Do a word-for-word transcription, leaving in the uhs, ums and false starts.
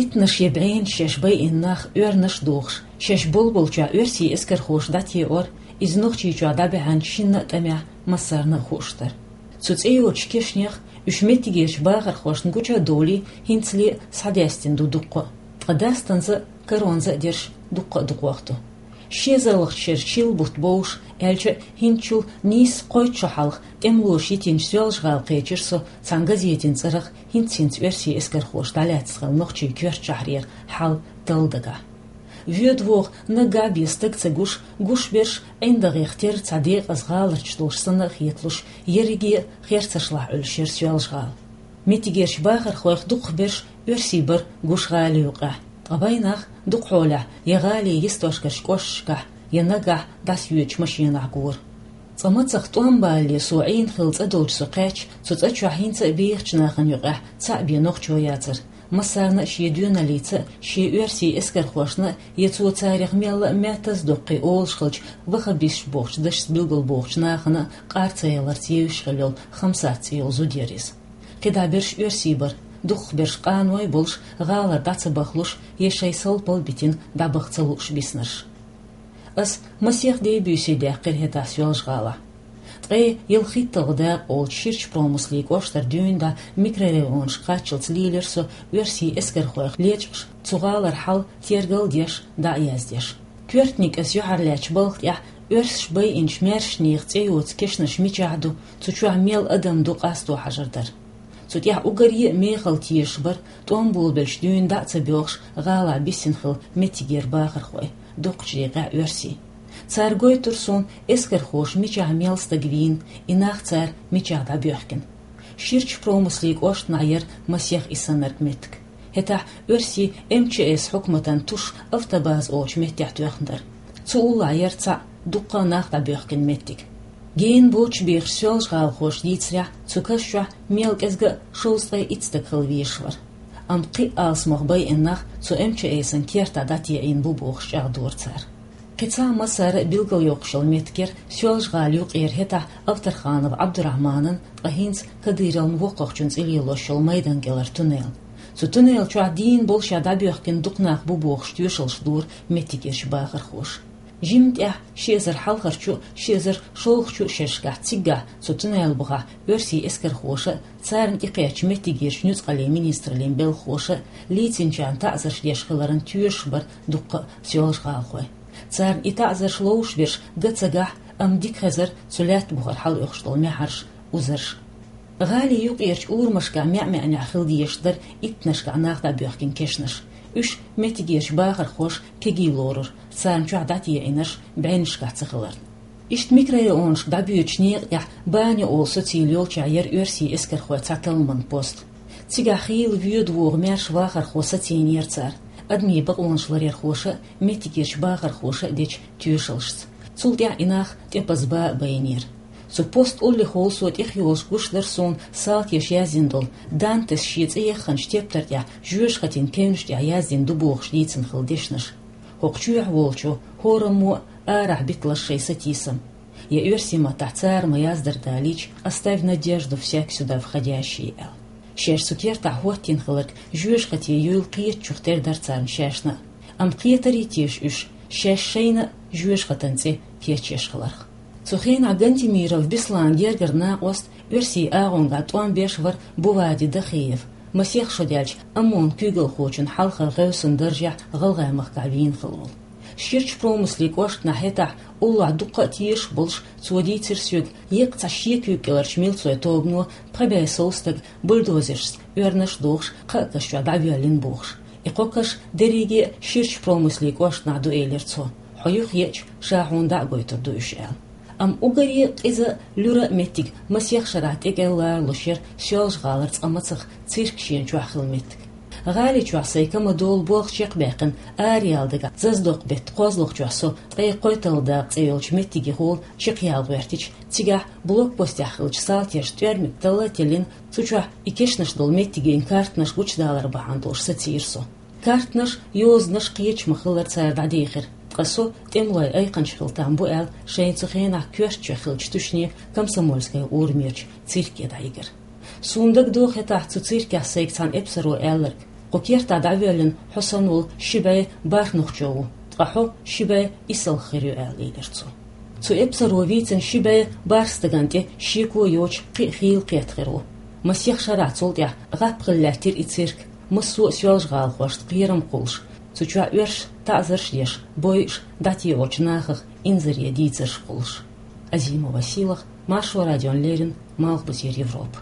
Иттанаш я бӀенаш шаьш байина нах, оьрнаш а дохуш, шаьш болболчохь оьрсийн эскархоша дӀатеӀор, иза Нохчийчохь дӀабаьхьначу шинна а тӀамехь массарна а хууш дара. Цу цӀе йоцучу кешнех уьш меттигерчу бахархошна гуча а довлий, хӀинцале а схьадаьстина ду дуккха а. Ткъа дастанза а, каронза а дерш дуккха а дукха вахана ду. Ши эзарлагӀчу шеран шина бутт бовлуш, аьлча а, хӀинцачул нийсса кхойтта шо хьалха тӀемалоша йитинчу Соьлжа-ГӀала кхечира со цхьана газетан цӀарах хӀинц-хӀинца оьрсийн эскархоша дӀалаьцна хилла Нохчийн коьртачу шахьарера хьал талла дагахь. Воьду-воху наггахь бен стаг ца гуш, гуш берш ӀиндагӀех терра цхьа декъаза гӀаларчаш долуш санна а хеталуш, ерриге а херцашлахь Ӏуьллуш яра Соьлжа-ГӀала. Меттигерчу бахархойх дукхахберш оьрсий бара гуш гӀали юкъехь, ткъа вайнах дукха хьолехь я гӀалин йистошкарчу кӀошташкахь, я наггахь дӀасайоьдучу машенахь гора. Цкъа мацах тӀом балале со Ӏийна хилла цӀа долчу со кхаьчча, цу цӀа чохь хӀинца а бехачу нахана юкъехь цхьаъ бен нохчо яцара. Массарна а шен доьналлица а, шен оьрсийн эскархошна а, я цо царах мелла а маьттаза доккхий олуш хиллачу ваххабисташ бохучу дашца билгалбохучу нахана а къар ца яларца евзаш хилла йолу Хамсат цӀе йолу зуда яра иза. КхидӀа берш оьрсий бара, дукхахберш къаной а болуш, гӀалара дӀа ца бахалуш, я шайн салпал битина дӀабаха ца лууш биснарш. Ас масех дей-буьйсий даьккхира хӀетахь Соьлжа-ГӀалахь. Ткъе ялхитталгӀа дакъа олучу Ширачу Промыслин кӀоштара дуьйна дӀа микрорайонашка кхаччалц лийлира со оьрсийн эскархойх лечкъаш, цу гӀалара хьал тергал а деш, дӀа а яздеш. Коьртаниг ас юьхьарлаьцначу балха тӀехь оьрсаша байинчу маьршанехан цӀе йоцу кешнаш мичахь ду, цу чохь мел адам ду къасто хьажар дара. Цу тӀехь уггаре а мехала тешаш бара, тӀом болабелча дуьйна дӀа а ца боьлхуш, гӀалахь биссина хилла меттигера бахархой, дукхачу декъехь оьрсий. Цара гойтура суна, эскархоша мичахь мел стаг вийна, и нах цара мичахь дӀабоьхкина. Ширачу Промыслин кӀоштахь яра масех и саннарг меттиг. ХӀетахь оьрсийн М Ч С хьукматан туш автобаза олучу меттехь тоьхна дара. Цу уллохь яра цхьаъ дуккха а нах дӀабоьхкина меттиг. Гена боцуш бехаш Соьлжа-ГӀалахоша дийцарехь, цу каш чохь мел кӀезга а шовзткъе итт стаг хила везаш вара. Амма кхин а алсамох байина нах цу М Ч С-ан кертахь дӀатеӀийна бу бохуш чӀагӀдора цара. Кхин цхьа а массара а билгалйоккхуш йолу меттиг яра Соьлжа-ГӀалин юкъера хӀетахь Авторханов Ӏабдурахьманан, ткъа хӀинца Кадыровн воккхахчун цӀе лелош йолу майдан кӀелара туннел. Цу туннел чохь дийна болуш а дӀабоьхкина дукха нах бу бохуш тоьшаллаш дора меттигерчу бахархоша. Жимма тӀехь ши эзар хьалхарчу а, ши эзар шолгӀачу а шерашкахь циггахь цу туннел бухахь оьрсийн эскархоша а, царна тӀекхаьчначу меттигерчу нуьцкъалийн министраллин белхахоша а лийцинчарна таӀзарш деш хиларан тоьшуш бара дуккха а Соьлжа-ГӀалахой. Царна и таӀзарш ловзуш берш ган ца гахь, амма дика хезара цу лаьтта бухара хьалаоьхуш долу маьхьарш, узарш. ГӀалин юкъерчу урамашкахь маьӀ-маьӀнехь хила дезаш дара иттанашкахь нах дӀабоьхкина кешнаш. Уьш меттигерчу бахархоша кегий лорура, царна чохь дӀатеӀинарш бӀеннашкахь ца хиларна. Иштта микрорайонашка дӀабоьдучу некъа тӀехь Баня олу социйла йолчохь яра оьрсийн эскархойн цхьа талламан пост. Цигахь хийла воьду-вогӀу маьрша вахархо сацийнера цара, адамийн бакъонаш ларъярхоша а, меттигерчу бахархоша а дечу тоьшаллашца. Цул тӀаьхьа и нах тӀепаза бан а байинера. Цу пост уллехула со тӀехйолуш гуш дара суна салтеша яздина долу, Дантес шен цӀе яхханчу тептар тӀехь жоьжахатин кевнаш тӀехь яздина ду бохуш дийцина хилла дешнаш. ХӀокху чоьхьа волчо хӀораммо а арахь биталаш шайн сатийсам. Я оьрсийн маттахь цара ма-яздара далийча, «Оставь надежду, всяк сюда входящий», аьлла. Шаьш цу кертахь хӀоттийна хилларг жоьжахате юйла кхетачух тера дара царна шаьшна а. Амма кхетарий теша уьш, шаьш шайна а жоьжахатан цӀе кечъеш хиларх? Цу хенахь Гантемиров Бесланан гергара накъост, оьрсийн агӀонгахь тӀом беш вара Бувади Дахиев, масех шо даьлча ОМОН-ан куьйгалхочун хьалхара гӀевсан даржехь ГӀалгӀай махкахь вийна хилла волу. Ширачу Промыслин кӀоштахь хӀетахь уллохь дуккха а тешаш болуш, цо дийцира соьга, еккъа цхьа шен куьйга кӀеларчу милцойн тобано пхи бӀе сов стаг бульдозершца оьрнаш а дохуш, кхаа каш чохь дӀавоьллина бохуш. И кхо каш дерриге а Ширачу Промыслин кӀоштахь ду, элира цо. Хьо юхаеача, ша хьуна дӀа а гойтур ду уьш, аьлла. Амма уггаре а къиза а, луьра а меттиг масех шарахь тӀекӀел ларалуш яра Соьлжа-ГӀалара цкъа мацах цирк шена чохь хилла меттиг. ГӀаличохь сайн ка ма-долу болх чекхбаьккхина, араяла дагахь Заздокъ-беттан кхозлагӀчохь со ткъе кхойтталгӀа дакъа цӀе йолчу меттигехула чекхъяла гӀоьртича, цигахь блокпостехь хиллачу салтеша тӀоьрмиг талла а теллина, цу чохь и кешнаш долу меттигийн картанаш гучудалар бахьана долуш сацийра со. Картанаш, йозанаш кхеча ма-хиллара цара дӀадийхира, ткъа со, тӀемалойн айкханча хила там бу аьлла, шайна цу хенахь коьртачохь хиллачу Тушне Комсомольская урамерчу цирке дӀайигира. Суна дагадогӀу хӀетахь цу циркехь сайга цхьана эпсаро аьлларг: Кху кертахь дӀавоьллина хьо санна волу ши бӀе бархӀ нохчо ву, ткъа хьо ши бӀе исалх хир ю аьлла, элира цо. Цу эпсаро вийцина ши бӀе бархӀ стагана тӀе шеко йоцуш кхин а хийла кхетта хир ву. Масех шарахь цул тӀаьхьа гӀап хилла лаьттира и цирк, массо а Соьлжа-ГӀалахошна кхерам кхуллуш, цу чохь оьрсаша таӀзарш а деш, бойуш, дӀатеӀочу нахах инзаре дийцарш кхуллуш. Азимова Сийлаха, Маршо радиона леррина, Малхбузера Европа.